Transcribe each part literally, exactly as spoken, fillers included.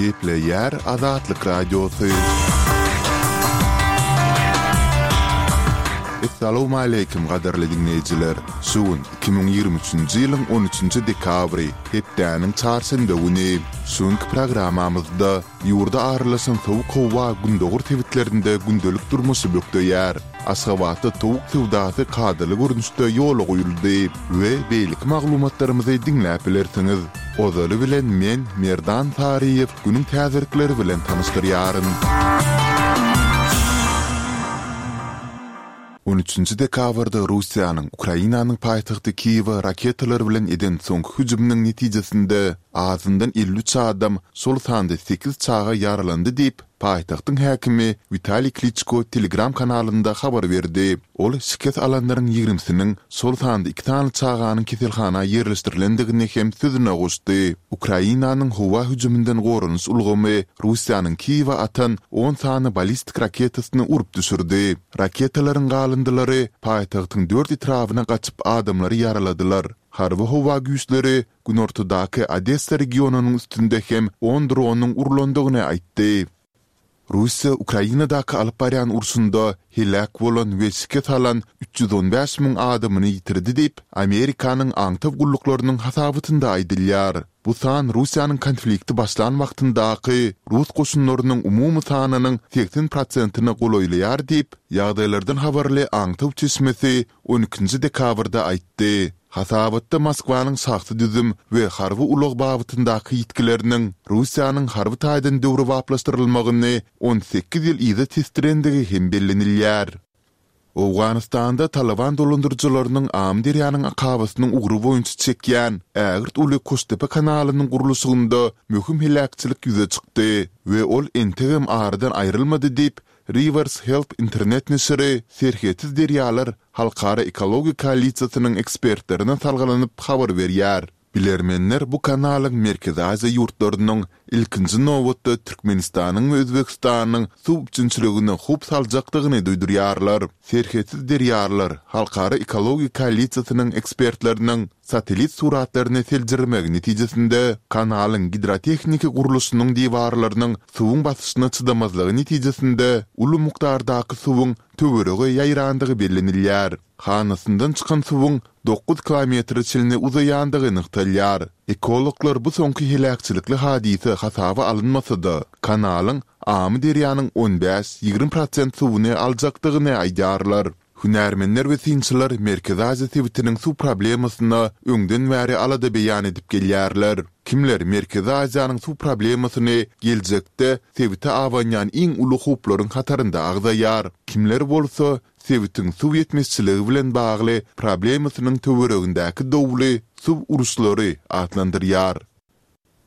Gepleýär Azatlyk Radiosy. Essalawmaleýkim gadyrly diňleýjiler! Şu gün iki müň ýigrimi üçünji ýylyň on üçünji dekabry, hepdäniň çarşenbe güni. Şu günki programmamyzda ýurda aralaşan sowuk howa gündogar sebitlerinde gündelik durmuşy bökdeýär. Aşgabatda towuk söwdasy kadaly görnüşde ýola goýuldy we beýleki maglumatlarymyzy diňläp bilersiňiz. Ozaly bilen men, Merdan Saryýew, günüň täzelikleri bilen tanyşdyrýaryn. On üçünji dekabrda Russiýanyň Ukrainanyň paýtagty Kiýewe raketalar bilen eden soňky hüjüminiň netijesinde azyndan elli üç adam, şol sanda sekiz çaga ýaralandy diýip, paýtagtyň häkimi Witaliý Kliçko Telegram kanalynda habar berdi. Ol şikes alanlaryň ýigrimisiniň, şol sanda iki sany çaganyň keselhana ýerleşdirilendigini hem sözüne goşdy. Ukrainanyň howa hüjüminden goranyş ulgamy Russiýanyň Kiýewe atan on sany ballistik raketasyny urup düşürdi. Raketalaryň galyndylary paýtagtyň dört etrabyna gaçyp adamlary ýaraladylar. Harby howa güýçleri günortadaky Odessa regionynyň üstünde hem on dronyň urlandygyny aýtdy. Russiýa Ukrainadaky alyp barýan urşunda heläk bolan we şikes alan üç ýüz on bäş müň adamyny ýitirdi diýip, Amerikanyň aňtaw gulluklarynyň hasabatynda aýdylýar. Bu san Russiýanyň konflikti başlan wagtyndaky rus goşunlarynyň umumy sanynyň segsen prosentine golaýlaýar diýip, ýagdaýlardan habarly aňtaw çeşmesi on ikinji dekabrda aýtdy. Hasabatda Moskwanyň şahsy düzüm we harby ulag babatyndaky ýitgileriniň Russiýanyň harby taýdan döwrebaplaşdyrylmagyny on sekiz ýyl yza tesdirendigi hem bellenilýär. Owganystanda Talyban dolandyryjylarynyň Amyderýanyň akabasynyň ugry boýunça çekýän ägirt uly Koştepe kanalynyň gurluşygynda möhüm heläkçilik ýüze çykdy we ol entegem aradan aýrylmady diýip, Rivers Help internet neşiri Serhetsiz derýalar halkara ekologiýa koalisiýasynyň ekspertlerine salgylanyp habar berýär. Bilermenler bu kanalyň Merkezi Aziýa ýurtlarynyň, ilkinji nobatda Türkmenistanyň we Özbegistanyň suw üpjünçiligine howp saljakdygyny duýdurýarlar. Serhetsiz derýalar halkara ekologiýa koalisiýasynyň ekspertleriniň satellit suratlaryny seljermegi netijesinde, kanalyň gidrotehniki gurluşynyň diwarlarynyň suwuň basyşyna çydamazlygy netijesinde uly mukdardaky suwuň töwerege ýaýrandygy bellenilýär. Hanasyndan çykan suwuň dokuz kilometre çenli uzaýandygy nygtalýar. Ekologlar bu soňky heläkçilikli hadysa hasaba alynmasa-da, kanalyň Amyderýanyň on bäş, ýigrimi prosent suwuny aljakdygyny aýdýarlar. Hünärmenler we synçylar Merkezi Aziýa sebitiniň suw problemasyna öňden bäri alada beýan edip gelýärler. Kimler Merkezi Aziýanyň suw problemasyny geljekde sebite abanýan iň uly howplaryň hatarynda agzaýar, kimler bolsa sebitiň suw ýetmezçiligi bilen bagly problemasynyň töweregindäki dowly suw uruşlary atlandyrýar.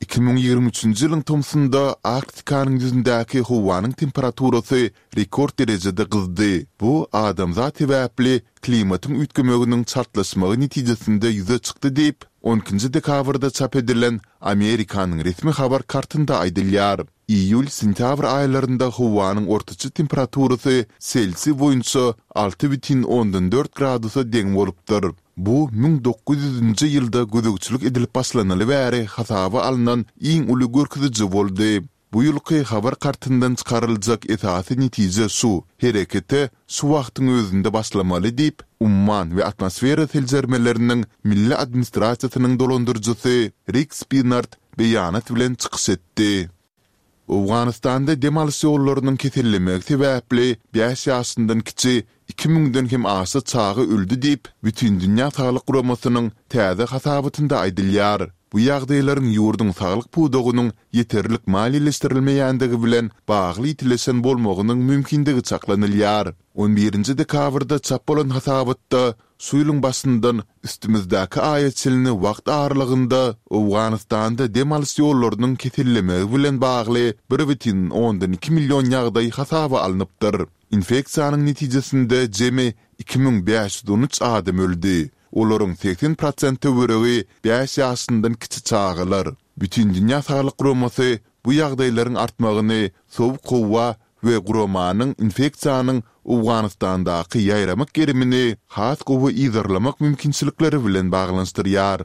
Iki müň ýigrimi üçünji ýylyň tomsunda Arktikanyň ýüzündäki howanyň temperaturasy rekord derejede gyzdy. Bu adamzat sebäpli klimatyň üýtgemeginiň çaltlaşmagy netijesinde ýüze çykdy diýip, on ikinji dekabrda çap edilen Amerikanyň resmi habar kartynda aýdylýar. Iýul-sentýabr aýlarynda howanyň ortaça temperaturasy Selsiý boýunça alty bütin ondan dört gradusa deň bolupdyr. Bu müň dokuz ýüzünji ýylda gözegçilik edilip başlanaly bäri hasaba alnan iň uly görkeziji boldy. Bu ýylky habar kartyndan çykaryljak esasy netije şu, herekete şu wagtyň özünde başlamaly diýip, Umman we atmosfera seljermeleriniň milli administrasiýasynyň dolandyryjysy Rik Spinard beýanat bilen çykyş etdi. Owganystanda dem alyş ýollarynyň kesellemegi sebäpli bäş ýaşyndan kiçi iki müňden hem aşa çaga öldi diýip, Bütindünýä saglyk guramasynyň täze hasabatynda aýdylýar. Bu ýagdaýlaryň ýurduň saglyk pudagynyň ýeterlik maliýeleşdirilmeýändigi bilen bagly ýitileşen bolmagynyň mümkindigi çaklanylýar. On birinji dekabrda çap bolan hasabatda şu ýylyň başyndan üstümizdäki aýa çenli wagt aralygynda Owganystanda dem alyş ýollarynyň kesellemegi bilen bagly bir bütin ondan iki million ýagdaý hasaba alnypdyr. Infeksiýanyň netijesinde jemi iki müň bäş ýüz on üç adam öldi. Olaryň segsen prosent töweregi bäş ýaşyndan kiçi çagalar. Bütindünýä saglyk guramasy bu ýagdaýlaryň artmagyny sowuk howa we guramanyň infeksiýanyň Owganystandaky ýaýramak gerimini has gowy yzarlamak mümkinçilikleri bilen baglanyşdyrýar.